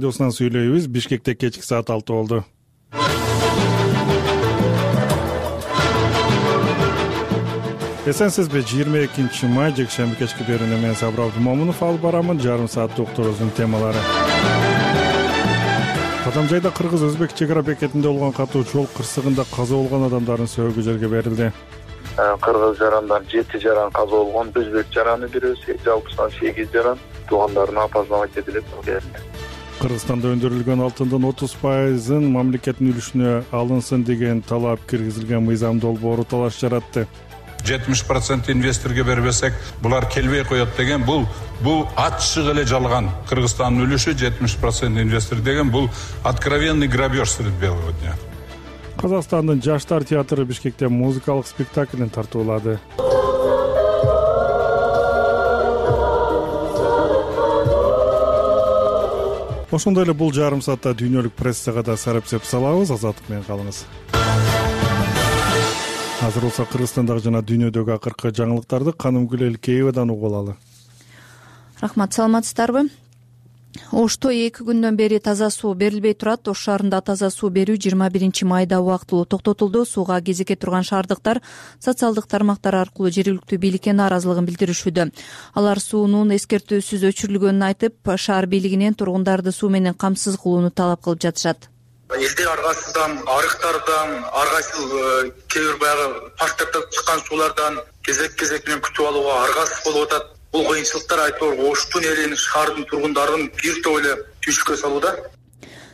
Радиосунан сүйлөйбүз. Бишкекте кечки саат 6 болду. Эсенсизби? 22 май жекшемби кечки берүүнү мен Сабыр Абдумомунов алып барамын. Жарым сааттык уктуруубуздун темалары. Кадамжайда кыргыз-өзбек чек ара бекетинде болгон катуу жол кырсыгында каза болгон адамдардын сөөгү жерге берилди. Кыргыз жарандан 7 жаран каза болгон, өзбек жараны бирөөсү, жалпысынан 8 жаран туугандарына опознавать этилип берилди. Кыргызстанда өндүрүлгөн алтындын 30%-ын мамлекеттин үлүшүнө алынсын деген талап киргизилген мыйзам долбоору талаш жаратты. 70% инвесторге бербесек, булар келбей коет деген бул ачык эле жалган. Кыргызстандын үлүшү 70% инвестор деген бул откровенный грабеж среди белого дня. Казакстандын Жаштар театры Бишкекте музыкалык спектаклин тартуулады. Ошондой эле бул жарым саатта дүйнөлүк прессага да сарапсеп салабыз. Азаттык менен калыңыз. Азыр болсо Кыргызстандагы жана дүйнөдөгү акыркы жаңылыктарды Канымгүл Элкеевадан угуп алалы. Рахмат, саламатсыздарбы? Ошто 2 күндөн бери таза суу берилбей турат. Ош шаарында таза суу берүү 21 майда убактылуу токтотулду. Сууга кезекке турган шаардыктар социалдык тармактар аркылуу жергиликтүү бийликке нааразылыгын билдиришүүдө. Алар суунун эскертүүсүз өчүрүлгөнүн айтып, шаар бийлигинен тургундарды суу менен камсыз кылууну талап кылып жатышат. Элдер аргасыздан, арыктардан, ар кайсы кээ бир баягы парктардан чыккан суулардан кезек менен күтүп алууга аргасыз болуп атат. Бул кыйынчылыктар айтор Оштун элин, шаардын тургундарын бир топ эле түйшүккө салууда,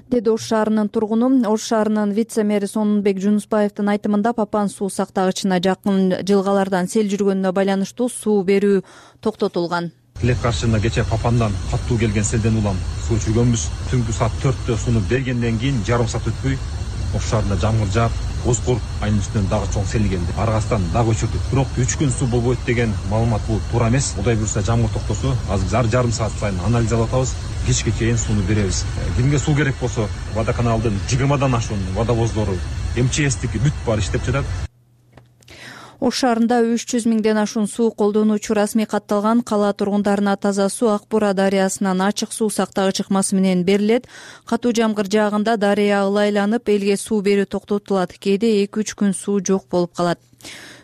деди Ош шаарынын тургуну. Ош шаарынын вице-мэри Сонунбек Жунусбаевдин айтымында Папан суу сактагычына жакын жылгалардан сел жүргөнүнө байланыштуу суу берүү токтотулган. Тилек каршында кече Папандан каттуу келген селден улам суу өчүргөнбүз. Түнкү саат 4-тө сууну бергенден кийин жарым саат өтпөй Ош шаарында жамгыр жаап, Озкор айнын үстүнөн дагы чоң сел келди. Аргасынан дагы өчүрдүк. Бирок 3 күн суу болбойт деген маалымат бул туура эмес. Кудай буйрса жамгыр токтосо, азыр жарым саат сайын анализ алып атабыз. Кечке чейин сууну беребиз. Кимге суу керек болсо, водоканалдын 20 ашуун водовоздору, МЧСтики бүт баары иштеп жатат. Ош шаарында 300 миңден ашуун суу колдонуучу расмий катталган. Кала тургундарына таза суу Ак Бура дарыясынан ачык суу сактагыч ыкмасы менен берилет. Катуу жамгыр жаагында дарыя ылайланып, элге суу берүү токтотулат. Кээде 2-3 күн суу жок болуп калат.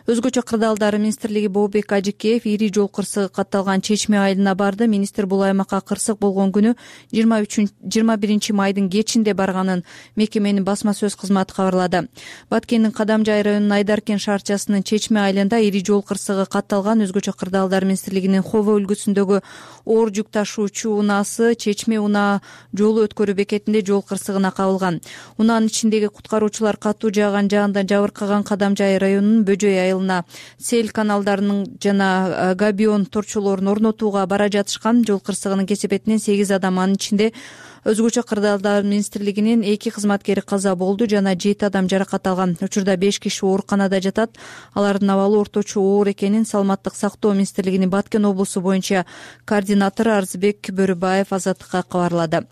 Өзгөчө кырдаалдар министрлиги Бообек Ажикеев ири жол кырсыгы катталган Чечме айылына барды. Министр бул аймакка кырсык болгон күнү 21 майдын кечинде барганын мекеменин басма сөз кызматы кабарлады. Баткендин Кадамжай районунун Айдаркен шаарчасынын Чечме айылында ири жол кырсыгы катталган. Өзгөчө кырдаалдар министрлигинин Хово өлкөсүндөгү оор жүк ташуучу унаасы Чечме унаа жолу өткөрүү бекетинде жол кырсыгына кабылган. Унаанын ичиндеги куткаруучулар катуу жааган жаандан жабыркаган Кадамжай районунун Бөжөй айылына сел каналдарынын жана габион торчолорун орнотууга бара жатышкан. Жол кырсыгынын кесепетинен 8 адам, анын ичинде өзгөчө кырдаалдар министрлигинин 2 кызматкери каза болду жана 7 адам жаракат алган. Учурда 5 киши ооруканада жатат. Алардын абалы орточо оор экенин Саламаттык сактоо министрлигинин Баткен облусу боюнча координатору Арзбек Бөрүбаев Азаттыкка кабарлады.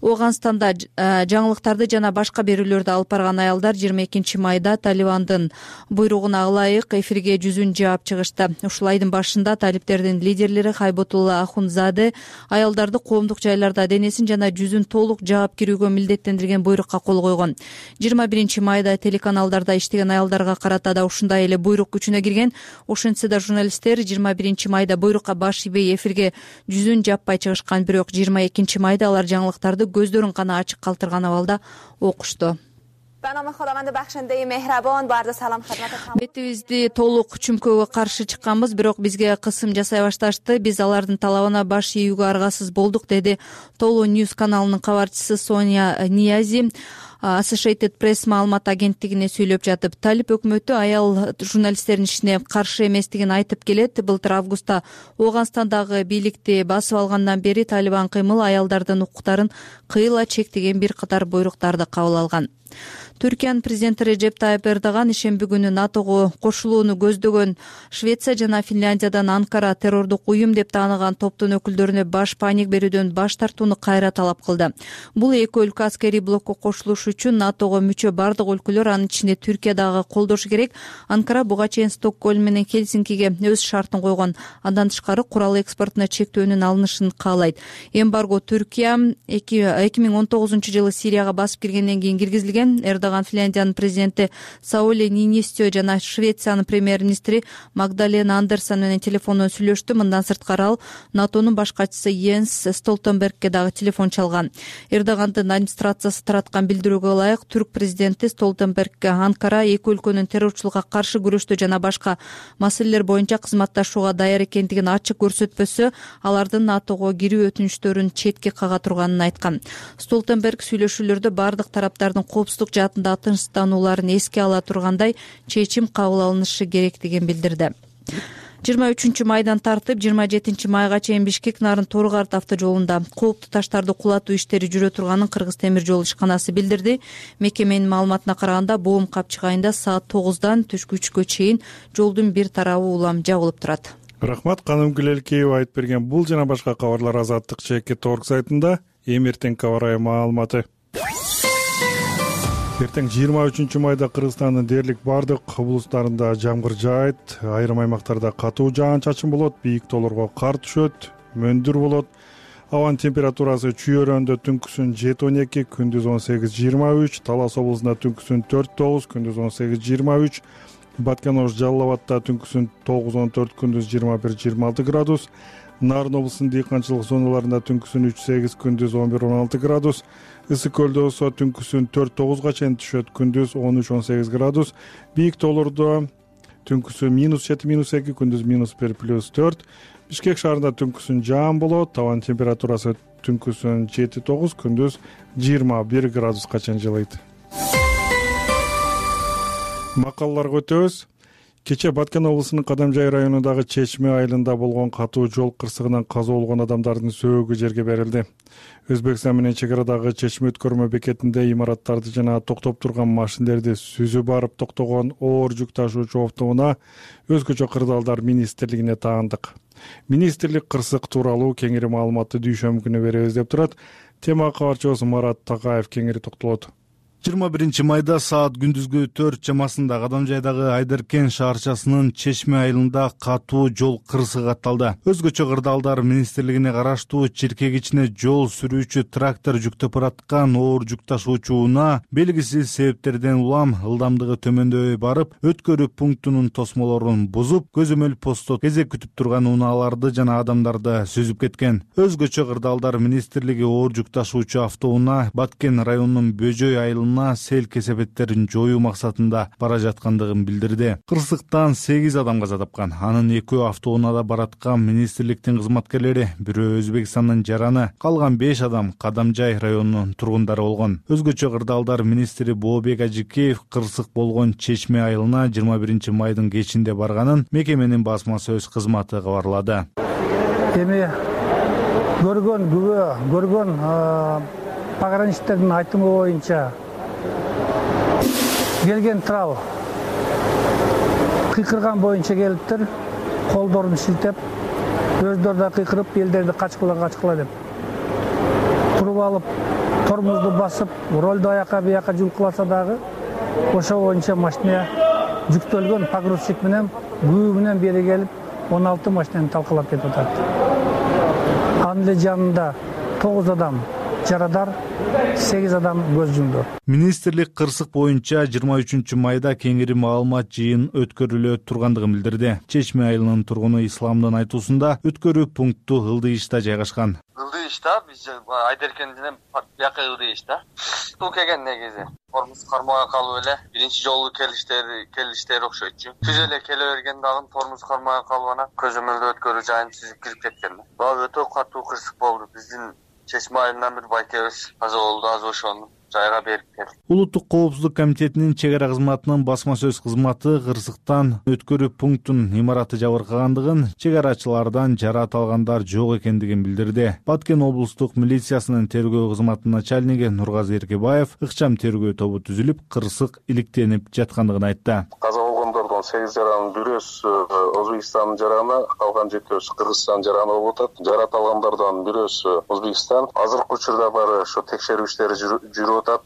Ооганстанда жаңылыктарды жана башка берүүлөрдү алып барган аялдар 22 майда Талибандын буйругуна ылайык эфирге жүзүн жаап чыгышты. Ушул айдын башында талиптердин лидерлери Хайботулла Ахунзаде аялдарды коомдук жайларда денесин жана жүзүн толук жаап кирүүгө милдеттендирген буйрукка кол койгон. 21 майда телеканалдарда иштеген аялдарга карата да ушундай эле буйрук күчүнө кирген. Ошентсе да журналисттер 21 майда буйрукка баш ийбей эфирге жүзүн жаппай чыгышкан. Бирок 22 майда алар жаңылыктарды көздөрүн гана ачык калтырган абалда окушту. Бетибизди толук чүмкөөгө каршы чыкканбыз, бирок бизге кысым жасай башташты. Биз алардын талабына баш ийүүгө аргасыз болдук, деди Толу Ньюс каналынын кабарчысы Соня Ниязи. Associated Press маалымат агенттигине сүйлөп жатып, Талип өкмөтү аял журналисттердин ишине каршы эместигин айтып келет. Былтыр августта Ооганстандагы бийликти басып алгандан бери Талибан кыймыл аялдардын укуктарын кыйла чектеген бир катар буйруктарды кабыл алган. Түркиянын президенти Режеп Тайып Эрдоган ишемби күнү НАТОго кошулууну көздөгөн Швеция жана Финляндиядан Анкара террордук уюм деп тааныган топтун өкүлдөрүнө баш паник берүүдөн баш тартууну кайра талап кылды. Бул эки өлкө аскерий блокко кошулуш үчүн НАТОго мүчө бардык өлкөлөр, анын ичинде Түркия дагы колдошу керек. Анкара буга чейин Стокгольм менен Хельсинкиге өз шартын койгон. Андан тышкары курал экспортуна чектөөнүн алынышын каалайт. Эмбарго Түркия 2019-жылы Сирияга басып киргенден кийин киргизилген. Эрдоган Финляндиянын президенти Саули Нинистё жана Швециянын премьер-министри Магдалена Андерсон менен телефондон сүйлөштү. Мындан сырткары ал НАТОнун баш катчысы Йенс Столтенбергке дагы телефон чалган. Эрдогандын администрациясы тараткан билдирүүгө ылайык, түрк президенти Столтенберг Анкара эки өлкөнүн террорчулукка каршы күрөштө жана башка маселелер боюнча кызматташууга даяр экендигин ачык көрсөтпөсө, алардын НАТОго кирүү өтүнүчтөрүн четке кага турганын айткан. Столтенберг сүйлөшүүлөрдө бардык тараптардын коопсуздук жаатында тынчтанууларын эске ала тургандай чечим кабыл алынышы керектигин билдирди. 23 майдан тартып 27 майга чейин Бишкек Нарын Торгарт автожолунда кооптуу таштарды кулатуу иштери жүрө турганын Кыргыз темир жол ишканасы билдирди. Мекеменин маалыматына караганда, Боом Капчык айында саат 9-дан түшкү 3-кө чейин жолдун бир тарабы улам жабылып турат. Рахмат, Каным Гүлелкеева айтып берген бул жана башка кабарлар Азаттык ЧК.org сайтында. Эмертең кабар маалыматы. Эртең 23 майда Кыргызстандын дээрлик бардык облустарында жамгыр жаайт, айрым аймактарда катуу жаан-чачын болот, бийик тоолорго кар түшөт, мөндүр болот. Абанын температурасы Чүйөрөндө түнкүсүн 7-12, күндүз 18-23, Талас облусунда түнкүсүн 4-9, күндүз 18-23, Баткен-Ош Жалал Абадта түнкүсүн 9-14, күндүз 21-26 градус, Нарын облусунун дыйканчылык зоналарында түнкүсүн 3-8, күндүз 11-16 градус, Ысык көлдө болсо түнкүсүн 4-9га чейин түшөт, күндүз 13-18 градус, бийик тоолордо түнкүсүн -7-2, күндүз -1+4, Бишкек шаарында түнкүсүн жаан болот, табан температурасы түнкүсүн 7-9, күндүз 21 градуска чейин жылыйт. Макалаларга өтөбүз. Кече Баткен облусунун Кадамжай районундагы Чечме айылында болгон катуу жол кырсыгынан каза болгон адамдардын сөөгү жерге берилди. Өзбекстан менен чек арадагы Чечме өткөрмө бекетинде имараттарды жана токтоп турган машиналерди сүзүп барып токтогон оор жүк ташуучу автоунаа өзгөчө кырдаалдар министрлигине таандык. Министрлик кырсык тууралуу кеңири маалыматты дүйшөмбү күнү беребиз деп турат. Тема кабарчыбыз Марат Такаев кеңири токтолот. 21 майда саат күндүзгү 4 чамасында Кадамжайдагы Айдеркен шаарчасынын Чечме айылында катуу жол кырсыгы катталды. Өзгөчө кырдаалдар министрлигине караштуу Чиркек ичине жол сүрүүчү трактор жүктөп бараткан оор жүк ташуучу унаа белгисиз себептерден улам ылдамдыгы төмөндөй барып, өткөрүү пунктунун тосмолорун бузуп, көзөмөл постто кезек күтүп турган унааларды жана адамдарды сүзүп кеткен. Өзгөчө кырдаалдар министрлиги оор жүк ташуучу автоунаа Баткен районунун Бөжөй айылына сел кесепеттерин жоюу максатында бара жаткандыгын билдирди. Кырсыктан 8 адам каза тапкан. Анын 2 автоунаада бараткан министрликтин кызматкерлери, бирөө Өзбекстандын жараны, калган 5 адам Кадамжай районунун тургундары болгон. Өзгөчө кырдаалдар министри Бообек Ажикеев кырсык болгон Чечме айылына 21 майдын кечинде барганын мекеменин басма сөз кызматы кабарлады. Эми көргөн пограничтердин айтымы боюнча келген трал кыйкырган боюнча келиптир, колдорун шилтеп, өздөрү да кыйкырып, элдерди качкыла деп туруп алып, тормозду басып, ролду аяка бияка жулкуласа дагы ошо боюнча машина жүктөлгөн погрузчик менен күбө менен бери келип 16 машинаны талкалап кетип атат. Анын эле жанында 9 адам жарадар, 8 адам көз жумду. Министрлик кырсык боюнча 23 майда кеңири маалымат жыйын өткөрүлө тургандыгын билдирди. Чечме айылынын тургуну Исламдын айтуусунда өткөрүү пункту Ылдыйышта жайгашкан. Ылдыйышта биз Айдеркенден бияка Ылдыйышта. Бул келген негизи тормоз кармага калып эле биринчи жолу келиштери окшойтчу. Түз эле келе бергенде дагы тормоз кармага калып анан көзөмөлдө өткөрүү жайын сүзүп кирип кеткен. Өтө катуу кырсык болду. Биздин Чечме айылынан бир байкебиз каза болду, аз ошону жайга берип келди. Улуттук коопсуздук комитетинин чек ара кызматынын басма сөз кызматы кырсыктан өткөрүү пунктунун имараты жабыркагандыгын, чек арачылардан жараат алгандар жок экендигин билдирди. Баткен облустук милициясынын тергөө кызматынын начальниги Нургазы Эркебаев ыкчам тергөө тобу түзүлүп, кырсык иликтенип жаткандыгын айтты. Каза болгондордун 8 жаранын бирөөс Өзбекстандын жараны, калган 7 Кыргызстан жараны болуп атат. Жарат алгандардан бирөөс Өзбекстан. Азыркы учурда бары ошо текшерүү иштери жүрүп атат.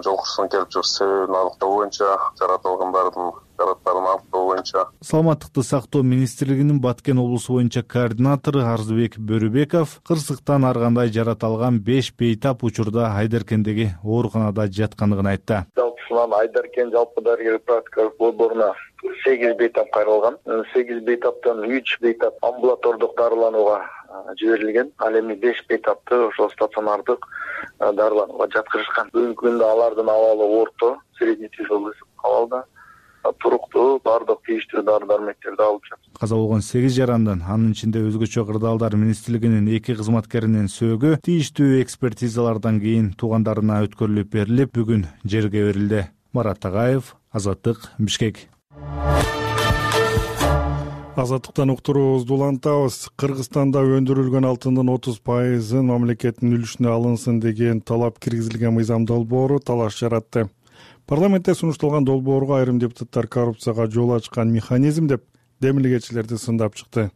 Жол кырсыгын келип чыгып себебин аныктоо боюнча, жарат алгандардын жараттарын аныктоо боюнча. Саламаттыкты сактоо министрлигинин Баткен облусу боюнча координатору Арзыбек Бөрүбеков кырсыктан ар кандай жарат алган 5 бейтап учурда Айдаркендеги ооруканада жаткандыгын айтты. Жалпысынан Айдаркен жалпы дарыгер практикалык борборуна 8 бейтап кайрылган. 8 бейтаптан 3 бейтап амбулатордук дарыланууга жиберилген. Ал эми 5 бейтапты ошол стационардык дарыланууга жаткырышкан. Бүгүнкү күндө алардын абалы орто, средний тяжелый абалда. Туруктуу бардык тийиштүү дары-дармектерди алып жатат. Каза болгон 8 жарандан, анын ичинде өзгөчө кырдаалдар министрлигинин 2 кызматкеринин сөөгү тийиштүү экспертизалардан кийин туугандарына өткөрүлүп берилип, бүгүн жерге берилди. Марат Тагаев, Азаттык, Бишкек. Азаттыктан уктуруубузду улантабыз. Кыргызстанда өндүрүлгөн алтындын 30% мамлекеттин үлүшүнө алынсын деген талап киргизилген мыйзам долбоору талаш жаратты. Парламентте сунушталган долбоорго айрым депутаттар коррупцияга жол ачкан механизм деп демилгечилерди сындап чыкты.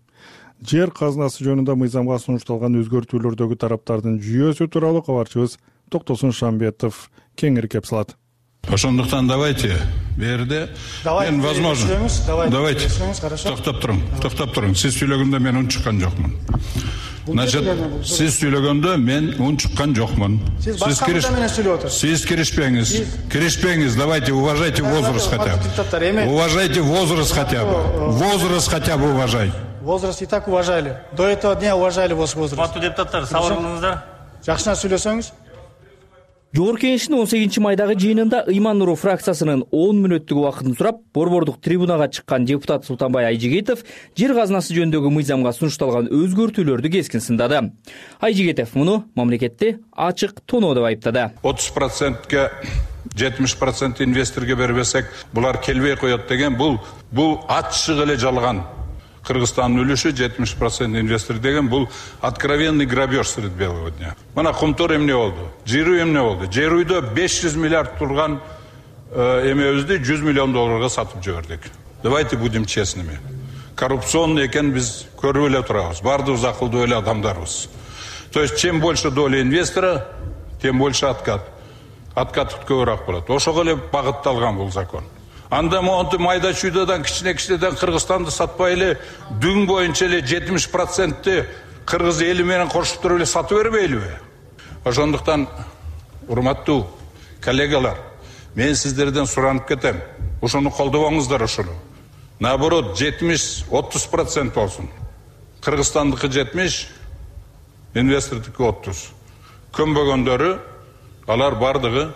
Жер казынасы жөнүндө мыйзамга сунушталган өзгөртүүлөрдөгү тараптардын жүйөсү тууралуу кабарчыбыз Токтосун Шамбетов кеңири кеп салат. Ошондуктан давайте берде мен возможно. Давайте. Токтоп туруң. Сиз сүйлөгөндө мен унчуккан жокмун. Значит, сиз сүйлөгөндө мен унчуккан жокмун. Сиз башка менен сүйлөп отурсуз. Сиз киришпеңиз. Давайте уважайте возраст хотя бы. Уважайте возраст хотя бы. Возраст хотя бы уважайте. Возраст и так уважали. До этого дня уважали ваш возраст. Каттуу депутаттар, сабыр кылыңыздар. Жакшына сүйлөсөңүз. Жогорку Кеңештин 18-майдагы жыйынында Ыйман Нуру фракциясынын 10 мүнөттүк убактын сурап, борбордук трибунага чыккан депутат Султанбай Айжигитов жер казынасы жөнүндөгү мыйзамга сунушталган өзгөртүүлөрдү кескин сындады. Айжигитов муну мамлекетти ачык тоноо деп айыптады. 30%ге 70% инвесторго бербесек, булар келбей коет деген бул ачык эле жалган. Кыргызстандын үлүшү 70% инвестор деген бул откровенный грабеж среди белого дня. Мына Кумтур эмне болду? Жирүү эмне болду? Жирүүдө 500 миллиард турган эмебизди 100 миллион долларга сатып жибердик. Давайте будем честными. Коррупционный экен биз көрүп эле турабыз. Бардыгыбыз акылдуу эле адамдарбыз. То есть чем больше доля инвестора, тем больше откат. Откат көбүрөөк болот. Ошого эле багытталган бул закон. Анда монту майда чүйдөдөн кичинекичинеден Кыргызстанды сатпай эле дүң боюнча эле 70%-ти Кыргыз эли менен кошуп туруп эле сатып бербейлиби? Ошондуктан урматтуу коллегалар, мен сиздерден суранып кетем. Ошону колдобоңуздар ошону. Наоборот, 70-30% болсун. Кыргызстандыкы 70, инвестордуку 30. Көнбөгөндөрү алар бардыгы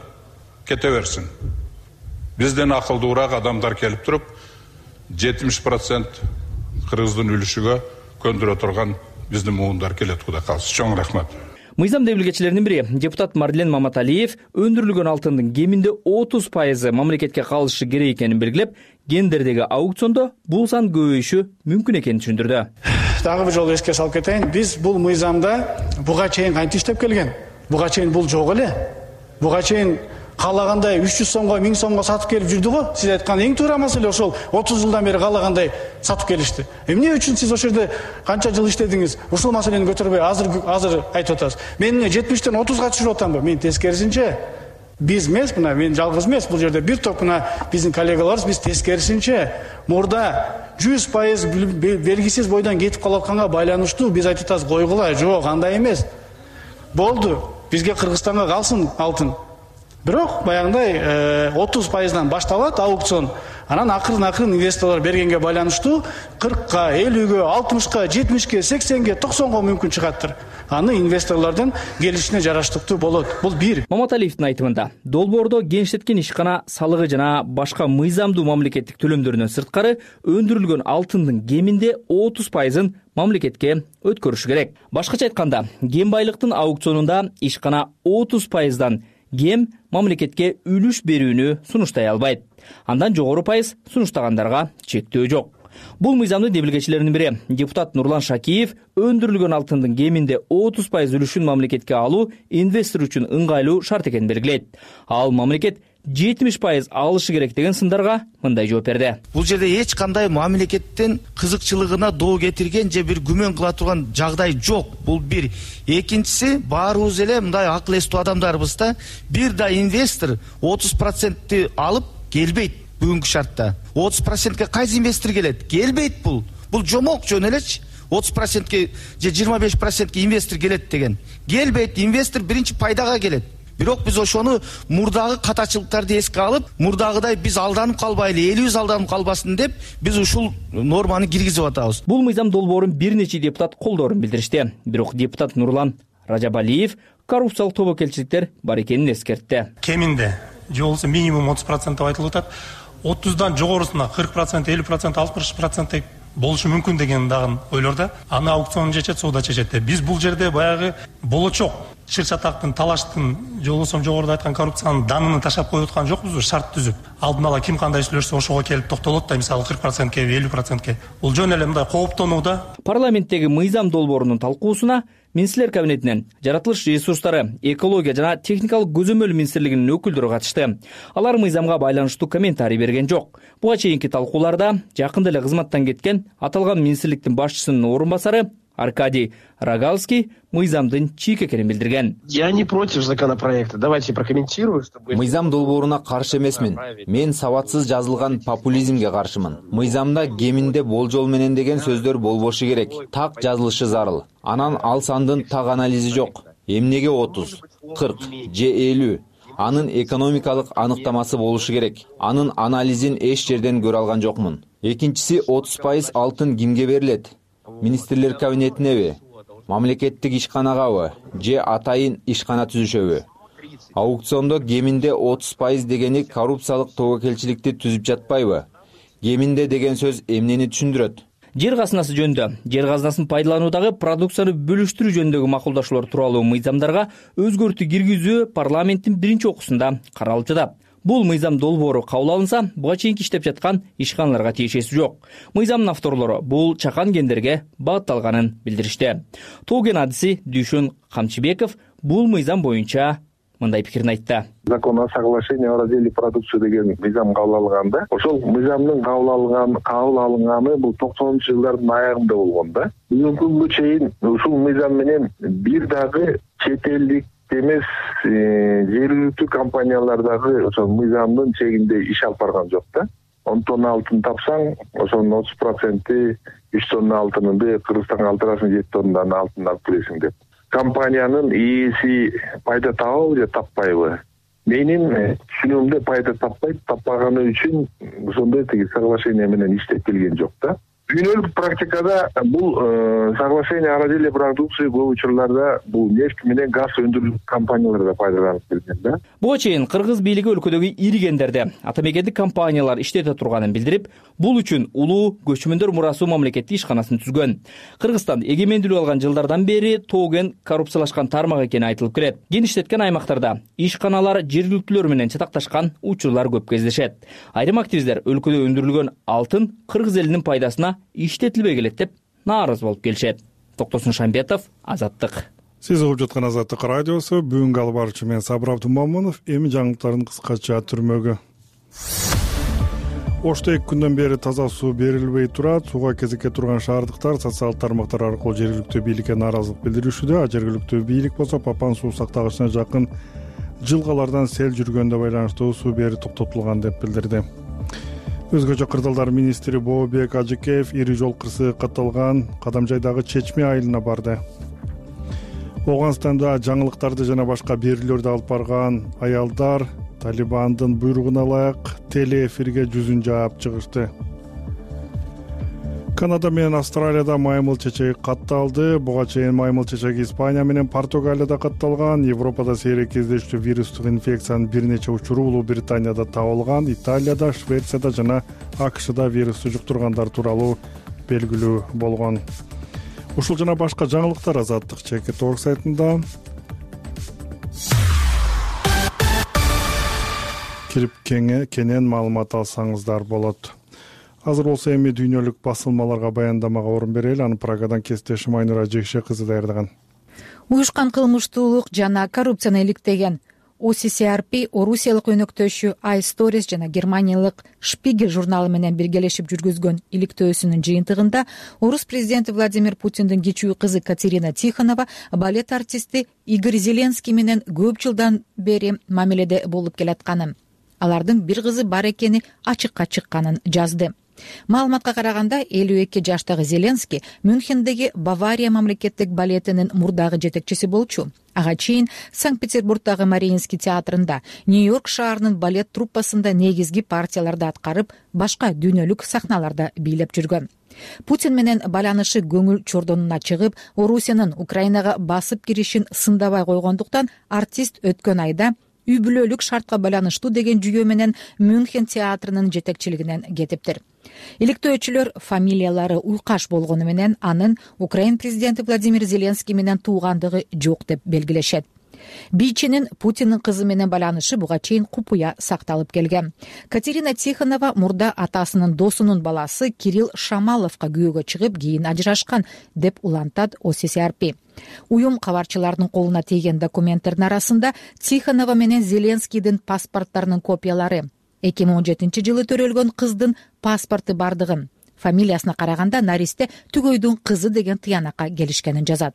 кете берсин. Бизден акылдуураак адамдар келип туруп 70% Кыргыздын үлүшүгө көндүрө турган биздин муундар келет, Кудай калса. Чоң рахмат. Мыйзам демилгечилеринин бири депутат Марлен Маматалиев өндүрүлгөн алтындын кеминде 30% мамлекетке калышы керек экенин белгилеп, гендердеги аукциондо бул сан көбөйүшү мүмкүн экенин түшүндүрдү. Дагы бир жолу эске салып кетейин, биз бул мыйзамда буга чейин кантип иштеп келген? Буга чейин бул жок эле. Буга чейин каалагандай 300 сомго 1000 сомго сатып келип жүрдү го. Сиз айткан эң туура маселе ошол 30 жылдан бери каалагандай сатып келишти. Эмне үчүн сиз ошол жерде канча жыл иштедиңиз? Ушул маселени көтөрбөй азыр айтып атасыз. Мен 70тен 30га түшүрүп атамбы? Мен тескерисинче. Биз эмес, мына мен жалгыз эмес, бул жерде бир топ мына биздин коллегаларыбыз, биз тескерисинче мурда 100% белгисиз бойдон кетип калып атканга байланыштуу биз айтып атабыз, койгула. Жок, андай эмес. Болду. Бизге Кыргызстанга калсын алтын. Бирок баягындай 30%дан башталат аукцион. Анан акырын инвесторлор бергенге байланыштуу 40га, 50ге, 60га, 70ге, 80ге, 90га мүмкүн чыгаттыр. Аны инвесторлордун келишине жараштыктуу болот. Бул бир. Маматалиевдин айтымында, долбоордо генштеткен ишкана салыгы жана башка мыйзамдуу мамлекеттик төлөмдөрүнөн сырткары өндүрүлгөн алтындын кеминде 30%-ын мамлекетке өткөрүш керек. Башкача айтканда, кен байлыктын аукционунда ишкана 30%-дан кем мамлекетке үлүш берүүнү сунуштай албайт. Андан жогору пайыз сунуштагандарга чектөө жок. Бул мыйзамдын демилгечилеринин бири депутат Нурлан Шакиев өндүрүлгөн алтындын кеминде 30% үлүшүн мамлекетке алуу инвестор үчүн ыңгайлуу шарт экенин белгилейт. Ал мамлекет 70% алышы керек деген сындарга мындай жооп берди. Бул жерде эч кандай мамлекеттин кызыкчылыгына доо кетирген же бир күмөн кыла турган жагдай жок. Бул бир. Экинчиси, баарыбыз эле мындай акыл эстүү адамдарбыз да. Бир да инвестор 30% алып келбейт бүгүнкү шартта. 30%ке кайсы инвестор келет? Келбейт бул. Бул жомок жөн элечи. 30%ке же 25%ке инвестор келет деген. Келбейт, инвестор биринчи пайдага келет. Бирок биз ошону мурдагы катачылыктарды эске алып, мурдагыдай биз алданып калбайлы, элибиз алданып калбасын деп биз ушул норманы киргизип атабыз. Бул мыйзам долбоорун бир нече депутат колдоорун билдиришти. Бирок депутат Нурлан Ражабалиев коррупциялык тобокелчиликтер бар экенин эскертти. Кеминде же болбосо минимум 30% деп айтылып атат. 30дан жогорусуна 40%, 50%, 60% болушу мүмкүн деген дагы ойлордо. Аны аукцион чечет, соода чечет. Биз бул жерде баягы болочок чыр-чатактын, талаштын, же болбосо жогоруда айткан коррупциянын данын ташап коюп аткан жокпузбу, шарт түзүп. Алдын ала ким кандай сүйлөшсө ошого келип токтолот да, мисалы 40%ке, 50%ке. Бул жөн эле мындай кооптонууда. Парламенттеги мыйзам долбоорунун талкуусуна Министрлер кабинетинен жаратылыш ресурстары, экология жана техникалык көзөмөл министрлигинин өкүлдөрү катышты. Алар мыйзамга байланыштуу комментарий берген жок. Буга чейинки талкууларда жакында эле кызматтан кеткен аталган министрликтин башчысынын орун басары Аркадий Рогалский мыйзамдын чийик экенин билдирген. Я не против законопроекта. Давайте прокомментирую, чтобы... Мыйзам долбооруна каршы эмесмин. Мен сабатсыз жазылган популизмге каршымын. Мыйзамда кеминде болжол менен деген сөздөр болбошу керек. Так жазылышы зарыл. Анан ал сандын так анализи жок. Эмнеге 30, 40 же 50? Анын экономикалык аныктамасы болушу керек. Анын анализин эч жерден көрө алган жокмун. Экинчиси 30% алтын кимге берилет? Министрлер кабинетинеби, мамлекеттик ишканагабы же атайын ишкана түзүшөбү? Аукциондо кеминде 30% дегени коррупциялык тобокелчиликти түзүп жатпайбы? Кеминде деген сөз эмнени түшүндүрөт? Жер казынасы жөнүндө, жер казынасын пайдалануудагы продукцияны бөлүштүрүү жөнүндөгү макулдашуулар тууралуу мыйзамдарга өзгөртүү киргизүү парламенттин биринчи окуусунда каралып жатат. Бул мыйзам долбоору кабыл алынса, буга чейин иштеп жаткан ишканаларга тиешеси жок. Мыйзамдын авторлору бул чакан кендерге багытталганын билдиришти. Тоо кен адиси Дүйшөн Камчыбеков бул мыйзам боюнча мындай пикирин айтты. Закон о соглашении о разделе продукции деген мыйзам кабыл алынганда, ошол мыйзамдын кабыл алынганы бул 90-ж жылдардын аягында болгон да. Бүгүнкү күнгө чейин ушул мыйзам менен бир дагы чет элдик эмес жергиликтүү компаниялардагы ошол мыйзамдын чегинде иш алып барган жок да. 10 тонна алтын тапсаң, ошонун 30% 3 тонна алтыныңды Кыргызстанга алдырасың, 7 тоннадан алтын алып келесиң деп. Компаниянын ээси пайда табабы же таппайбы? Менин түшүнүгүмдө пайда таппайт, таппаганы үчүн ошондой тиги соглашение менен иштеп келген жок да. Дүйнөлүк практикада бул соглашение о разделе продукции көп учурларда бул нефть менен газ өндүрүү компанияларда пайдаланып келген да. Буга чейин кыргыз бийлиги өлкөдөгү ири кендерде атамекендик компаниялар иштете турганын билдирип, бул үчүн улуу көчмөндөр мурасуу мамлекеттик ишканасын түзгөн. Кыргызстан эгемендүүлүк алган жылдардан бери тоо кен коррупциялашкан тармак экени айтылып келет. Кен иштеткен аймактарда ишканалар жергиликтүүлөр менен чатакташкан учурлар көп кездешет. Айрым активисттер өлкөдө өндүрүлгөн алтын кыргыз элинин пайдасына иштетилбей келет деп нааразы болуп келишет. Токтосун Шамбетов, Азаттык. Сиз угуп жаткан Азаттык радиосу. Бүгүнкү алып баруучу мен Сабыр Абдумамунов. Эми жаңылыктардын кыскача түрмөгү. Ошто 2 күндөн бери таза суу берилбей турат. Сууга кезекке турган шаардыктар социалдык тармактар аркылуу жергиликтүү бийликке нааразылык билдиришүүдө. Жергиликтүү бийлик болсо Папан суу сактагычына жакын жылгалардан сел жүргөнгө байланыштуу суу берүү токтотулган деп билдирди. Өзгөчө кырдаалдар министри Бообек Ажыкеев ири жол кырсыгы катталган Кадамжайдагы Чечме айылына барды. Ооганстанда жаңылыктарды жана башка берүүлөрдү алып барган аялдар Талибандын буйругуна ылайык телеэфирге жүзүн жаап чыгышты. Канада менен Австралияда маймыл чечеги катталды. Буга чейин маймыл чечеги Испания менен Португалияда катталган. Европада сейрек кездештүү вирустук инфекциянын бир нече учуру Улуу Британияда табылган. Италияда, Швецияда жана АКШда вирусту жуктургандар тууралуу белгилүү болгон. Ушул жана башка жаңылыктар Азаттык Чекит.org сайтында. Кирип кенен маалымат алсаңыздар болот. Азыр болсо эми дүйнөлүк басылмаларга баяндамага орун берели. Аны Прагадан кесиптешим Айнура Жекше кызы даярдаган. Уюшкан кылмыштуулук жана коррупцияны иликтеген OCCRP орусиялык өнөктөшү iStories жана германиялык Spiegel журналы менен биргелешип жүргүзгөн иликтөөсүнүн жыйынтыгында орус президенти Владимир Путиндин кичүү кызы Катерина Тихонова балет артисти Игорь Зеленский менен көп жылдан бери мамиледе болуп келатканын, алардын бир кызы бар экени ачыкка чыкканын жазды. Маалыматка караганда 52 жаштагы Зеленский Мюнхендеги Бавария мамлекеттик балетинин мурдагы жетекчиси болчу. Ага чейин Санкт-Петербургдагы Мариинский театрында, Нью-Йорк шаарынын балет труппасында негизги партияларды аткарып, башка дүйнөлүк сахналарда бийлеп жүргөн. Путин менен байланышы көңүл чордонуна чыгып, Орусиянын Украинага басып киришин сындабай койгондуктан артист өткөн айда үй бүлөлүк шартка байланыштуу деген жүйө менен Мюнхен театрынын жетекчилигинен кетиптир. Иликтөөчүлөр фамилиялары уйкаш болгону менен анын Украин президенти Владимир Зеленский менен туугандыгы жок деп белгилешет. Бийчинин Путиндин кызы менен байланышы буга чейин купуя сакталып келген. Катерина Тихонова мурда атасынын досунун баласы Кирилл Шамаловго күйөөгө чыгып, кийин ажырашкан деп улантат OCCRP. Уюм кабарчылардын колуна тийген документтердин арасында Тихонова менен Зеленскийдин паспорттарынын копиялары, 2017 жылы төрөлгөн кыздын паспорту бардыгын, фамилиясына караганда наристе Түгөйдүн кызы деген тыянакка келишкенин жазат.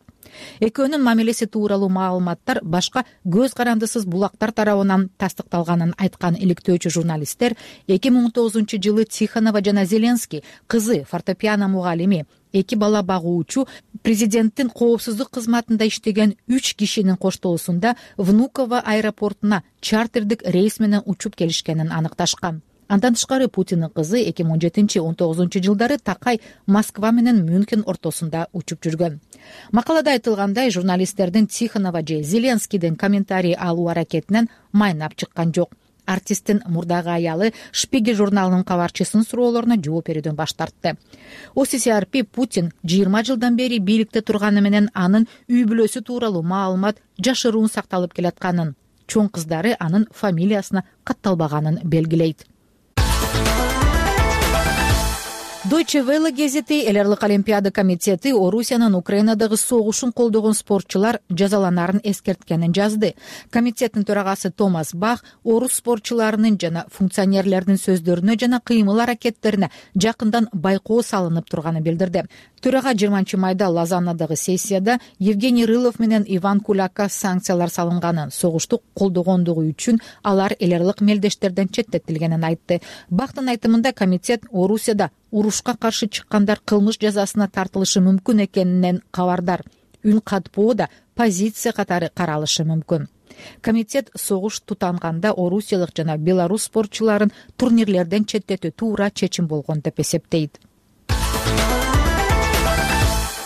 Экөөнүн мамилеси тууралуу маалыматтар башка көз карандысыз булактар тарабынан тастыкталганын айткан иликтөөчү журналисттер 2019 жылы Тихонова жана Зеленский кызы фортепиано мугалими, 2 бала багуучу, президенттин коопсуздук кызматында иштеген 3 кишинин коштоосунда Внуково аэропортуна чартердик рейс менен учуп келишкенин аныкташкан. Андан тышкары Путиндин кызы 2017-19 жылдары такай Москва менен Мюнхен ортосунда учуп жүргөн. Макалада айтылгандай, журналисттердин Тихонова же Зеленскийдин комментарий алуу аракетинен майнап чыккан жок. Артисттин мурдагы аялы Шпигель журналынын кабарчысынын суроолоруна жооп берүүдөн баш тартты. OCCRP Путин 20 жылдан бери бийликте турганы менен анын үй бүлөсү тууралуу маалымат жашыруун сакталып келатканын, чоң кыздары анын фамилиясына катталбаганын белгилейт. Deutsche Welle гезити эл аралык олимпиада комитети Орусиянын Украинадагы согушун колдогон спортчулар жазаланарын эскерткенин жазды. Комитеттин төрагасы Томас Бах орус спортчуларынын жана функционерлердин сөздөрүнө жана кыймыл аракеттерине жакындан байкоо салынып турганын билдирди. Төрага 20 майда Лозаннадагы сессияда Евгений Рылов менен Иван Кулакка санкциялар салынганын, согушту колдогондугу үчүн алар эл аралык мелдештерден четтетилгенин айтты. Бахтын айтымында комитет Орусияда урушка каршы чыккандар кылмыш жазасына тартылышы мүмкүн экенинен кабардар. Үн катпоо да позиция катары каралышы мүмкүн. Комитет согуш тутанганда орусиялык жана белорус спортчуларын турнирлерден четтетүү туура чечим болгон деп эсептейт.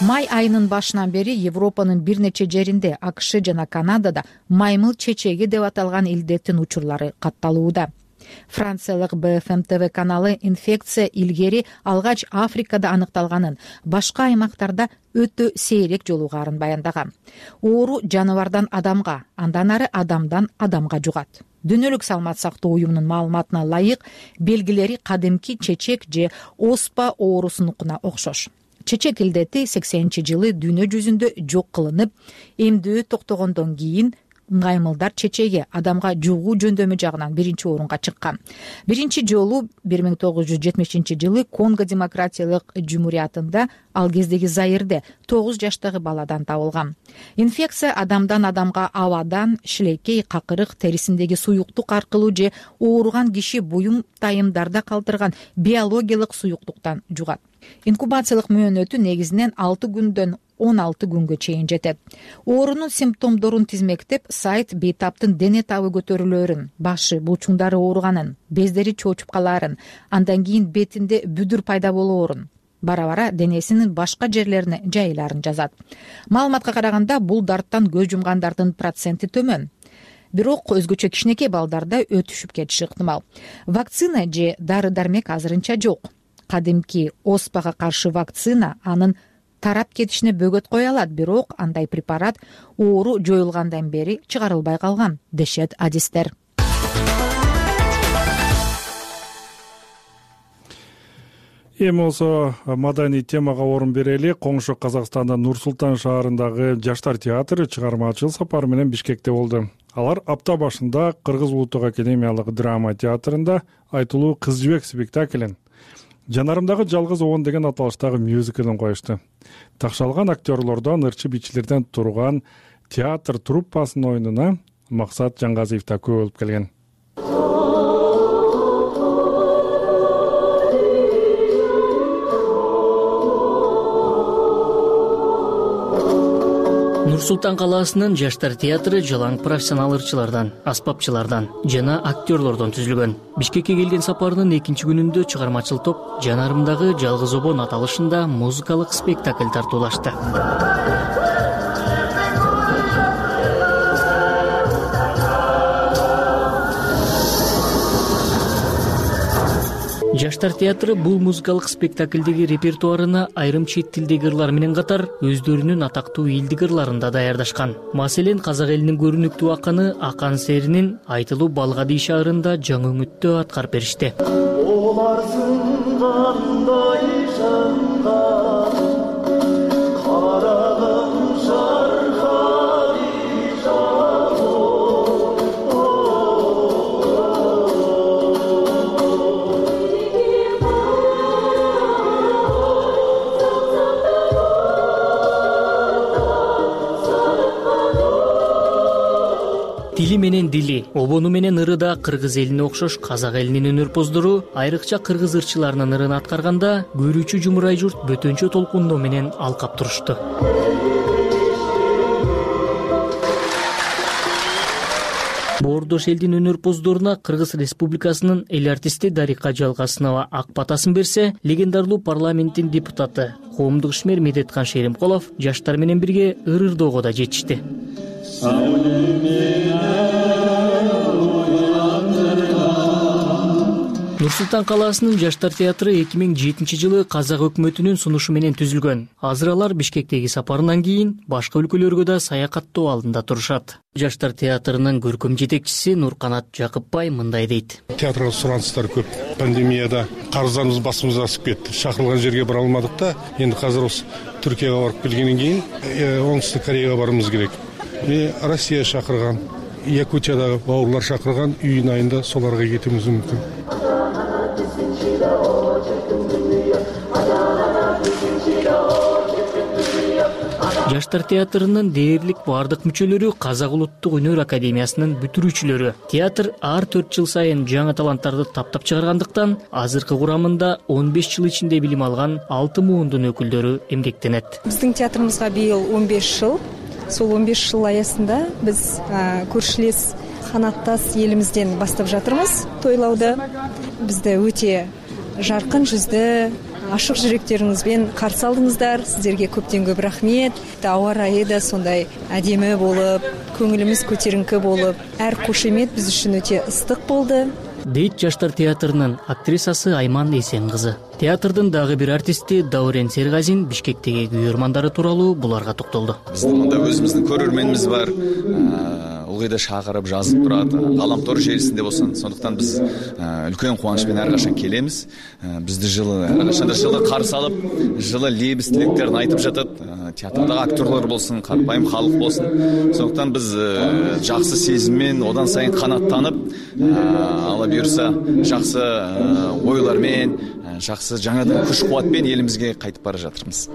Май айынын башынан бери Европанын бир нече жеринде, АКШ жана Канадада маймыл чечеги деп аталган илдеттин учурлары катталууда. Франциялык BFM TV каналы инфекция илгери алгач Африкада аныкталганын, башка аймактарда өтө сейрек жолугарын баяндаган. Оору жаныбардан адамга, андан ары адамдан адамга жугат. Дүйнөлүк саламат сактоо уюмунун маалыматына ылайык, белгилери кадимки чечек же оспа оорусунукуна окшош. Чечек илдети 80-жылы дүйнө жүзүндө жок кылынып, эмдөө токтогондон кийин ыңгаймылдар чечеги адамга жугуу жөндөмү жагынан биринчи орунга чыккан. Биринчи жолу 1970-жылы Конго демократиялык жумуриятында, ал кездеги Заирде 9 жаштагы баладан табылган. Инфекция адамдан адамга абадан, шилекей, какырык, терисиндеги суюктук аркылуу же ооруган киши буюм тайымдарда калтырган биологиялык суюктуктан жугат. Инкубациялык мөөнөтү негизинен 6 күндөн 16 күнгө чейин жетет. Оорунун симптомдорун тизмектеп, сайт бейтаптын дене табы көтөрүлөрүн, башы, булчуңдары ооруганын, бездери чоочуп калаарын, андан кийин бетинде бүдүр пайда болоорун, бара-бара денесинин башка жерлерине жайыларын жазат. Маалыматка караганда бул дарттан көз жумгандардын проценти төмөн. Бирок өзгөчө кичинекей балдарда өтүшүп кетиши ыктымал. Вакцина же дары-дармек азырынча жок. Кадимки оспага каршы вакцина анын тарап кетишине бөгөт кое алат, бирок андай препарат оору жоюлгандан бери чыгарылбай калган, дешет адистер. Эми болсо маданий темага орун берели. Коңшу Казакстандын Нур-Султан шаарындагы Жаштар театры чыгармачыл сапар менен Бишкекте болду. Алар апта башында Кыргыз улуттук академиялык драма театрында айтылуу Кыз жибек спектаклин, Жанарымдагы жалгыз обон деген аталыштагы мюзиклин коюшту. Такшалган актерлордон, ырчы бичилерден турган театр труппасынын оюнуна Максат Жангазиев да көп болуп келген. Нур-Султан калаасынын жаштар театры жалаң профессионал ырчылардан, аспапчылардан жана актерлордон түзүлгөн. Бишкекке келген сапарынын экинчи күнүндө чыгармачыл топ Жанарымдагы жалгыз обон аталышында музыкалык спектакль тартуулашты. Жаштар театры бул музыкалык спектаклдеги репертуарына айрым чет тилдеги ырлар менен катар өздөрүнүн атактуу элдик ырларын да даярдашкан. Маселен, казак элинин көрүнүктүү акыны Акан Серинин айтылуу Балгади шаарында жаңы үмүттө аткарып беришти. Тили менен дили, обону менен ыры да кыргыз элине окшош казак элинин өнөрпоздору айрыкча кыргыз ырчыларынын ырын аткарганда көрүүчү жумурай журт бөтөнчө толкундоо менен алкап турушту. Боордош элдин өнөрпоздоруна Кыргыз Республикасынын эл артисти Дарика Жалгасынова ак батасын берсе, легендарлуу парламенттин депутаты коомдук ишмер Медеткан Шеримкулов жаштар менен бирге ыр-ырдоого да жетишти. Нур-Султан калаасынын жаштар театры 2007-жылы казак өкмөтүнүн сунушу менен түзүлгөн. Азыр алар Бишкектеги сапарынан кийин башка өлкөлөргө да саякаттоо алдында турушат. Жаштар театрынын көркөм жетекчиси Нурканат Жакыпбай мындай дейт. Театрга сураныстар көп. Пандемияда карыздарыбыз басымызга асып кетти. Шакырылган жерге бара алмадык да, энди азыр осы Түркияга барып келгенден кийин Оңтүстүк Кореяга барыбыз керек. Россия шакырган, Якутиядагы бауырлар шакырган, июнь айында соларга кетүүбүз мүмкүн. Жаштар театрынын дээрлик бардык мүчөлөрү Казак улуттук өнөр академиясынын бүтүрүүчүлөрү. Театр ар 4 жыл сайын жаңы таланттарды таптап чыгаргандыктан азыркы курамында 15 жыл ичинде билим алган 6 муундун өкүлдөрү эмгектенет. Биздин театрыбызга быйыл 15 жыл. Сол 15 жыл аясында биз көршүлес канаттас элимизден баштап жатырмыз тойлауды. Бизде өтө жаркын жүздө, ашык жүрөктөрүңүзбен каршы алдыңыздар. Сиздерге көптөн көп рахмет. Аба ырайы да сондай адемі болуп, көңүлүмүз көтеринки болуп, ар кошемет биз үчүн өтө ыстык болду. Дейт жаштар театрынын актрисасы Айман Эсен кызы. Театрдын дагы бир артисти Даурен Сергазин Бишкектеги күйөрмандары тууралуу буларга токтолду. Биздин мында өзүбүздүн көрөрмөнүбүз бар. Ылгыйда шакырып жазып турат, галамтор желисинде болсун. Сондуктан биз үлкөн кубаныч менен ар качан келебиз. Бизди жылы ар качан жылы каршы алып, жылы лебиз тилектерин айтып жатат. Театрдагы актерлор болсун, карапайым халык болсун. Сондуктан биз жакшы сезиммен одан сайын канаттанып, ала буюрса жакшы ойлор менен, жакшы жаңадан күч кубат менен элибизге кайтып бара жатырмыз.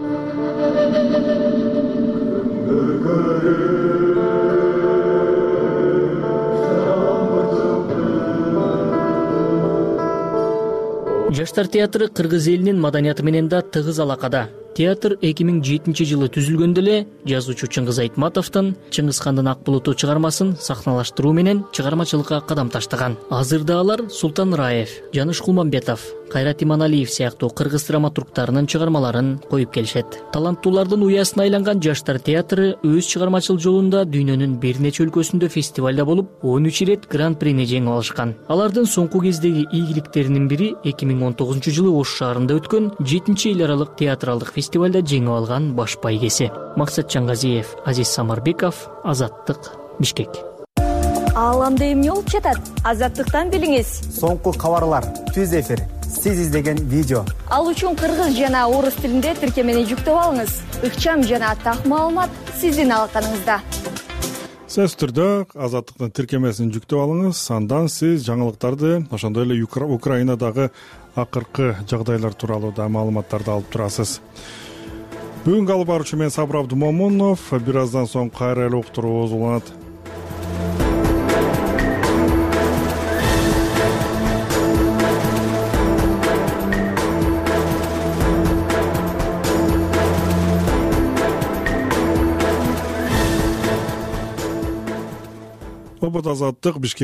Жаштар театры кыргыз элинин маданияты менен да тыгыз алакада. Театр 2007-жылы түзүлгөндө эле жазуучу Чыңгыз Айтматовдун Чыңгыз хандын Ак булуту чыгармасын сахналаштыруу менен чыгармачылыкка кадам таштаган. Азырда алар Султан Раев, Жаныш Кулмамбетов, Кайрат Иманалиев сыяктуу кыргыз драматургтарынын чыгармаларын коюп келишет. Таланттуулардын уясына айланган Жаштар театры өз чыгармачыл жолунда дүйнөнүн бир нече өлкөсүндө фестивалда болуп, 13 ирет гран-прини жеңип алышкан. Алардын соңку кездеги ийгиликтеринин бири 2019-жылы Ош шаарында өткөн 7-эл аралык театралдык фестивалда жеңип алган баш байгеси. Максат Жангазиев, Азиз Самарбеков, Азаттык, Бишкек. Ааламда эмне болуп жатат? Азаттыктан билиңиз. Соңку кабарлар, түз эфир, сиз издеген видео. Ал үчүн кыргыз жана орус тилинде тиркемени жүктөп алыңыз. Ыкчам жана так маалымат сиздин алаканыңызда. сөзсүз түрдө Азаттыктын тиркемесин жүктөп алыңыз. Андан сиз жаңылыктарды, ошондой эле Украинадагы акыркы жагдайлар тууралуу да маалыматтарды алып турасыз. Бүгүнкү алып баруучу мен Сабыр Абдумомунов. Бир аздан соң кайра эле уктуруубуз уланат. Азаттык Бишкек